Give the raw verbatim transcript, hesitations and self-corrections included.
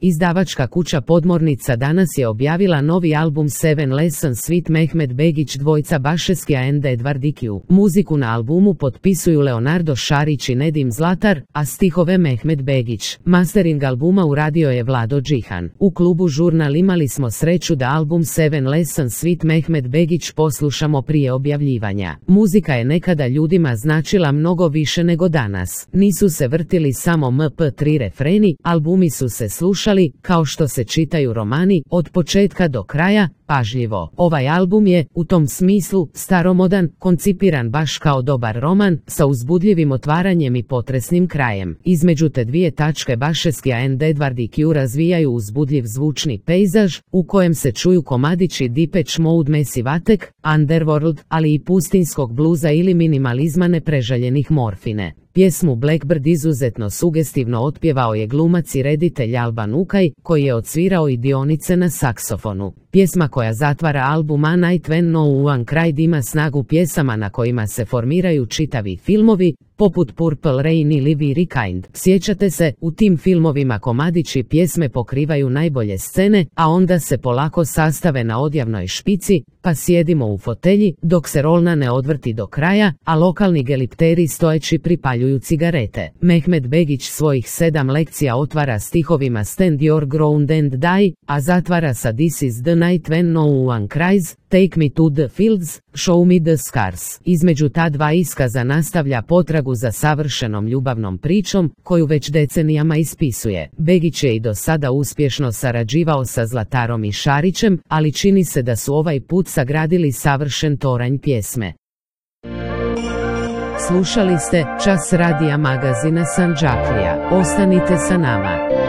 Izdavačka kuća Podmornica danas je objavila novi album Seven Lessons with Mehmet Begić dvojca Bašeskija and Edward Ikiju. Muziku na albumu potpisuju Leonardo Šarić i Nedim Zlatar, a stihove Mehmet Begić. Mastering albuma uradio je Vlado Džihan. U klubu Žurnal imali smo sreću da album Seven Lessons with Mehmet Begić poslušamo prije objavljivanja. Muzika je nekada ljudima značila mnogo više nego danas. Nisu se vrtili samo em pe tri refreni, albumi su se slušali kao što se čitaju romani, od početka do kraja, pažljivo. Ovaj album je, u tom smislu, staromodan, koncipiran baš kao dobar roman, sa uzbudljivim otvaranjem i potresnim krajem. Između te dvije tačke Bašeskija and Edward Ikiju razvijaju uzbudljiv zvučni pejzaž, u kojem se čuju komadići Depeche Mode, Massive Attack, Underworld, ali i pustinskog bluza ili minimalizma nepreželjenih Morfine. Pjesmu Blackbird izuzetno sugestivno otpjevao je glumac i reditelj Alban Ukaj, koji je odsvirao i dionice na saksofonu. Pjesma koja zatvara album A Night When No One Cried ima snagu pjesama na kojima se formiraju čitavi filmovi, poput Purple Rain ili Very Kind. Sjećate se, u tim filmovima komadići pjesme pokrivaju najbolje scene, a onda se polako sastave na odjavnoj špici, pa sjedimo u fotelji, dok se rolna ne odvrti do kraja, a lokalni gelipteri stojeći pripaljuju cigarete. Mehmet Begić svojih sedam lekcija otvara stihovima Stand Your Ground and Die, a zatvara sa This is the Night When No One Cries, Take Me to the Fields, Show Me the Scars. Između ta dva iskaza nastavlja potragu za savršenom ljubavnom pričom, koju već decenijama ispisuje. Begić je i do sada uspješno sarađivao sa Zlatarom i Šarićem, ali čini se da su ovaj put sagradili savršen toranj pjesme. Slušali ste Čas radija magazina Sandžaklija. Ostanite sa nama.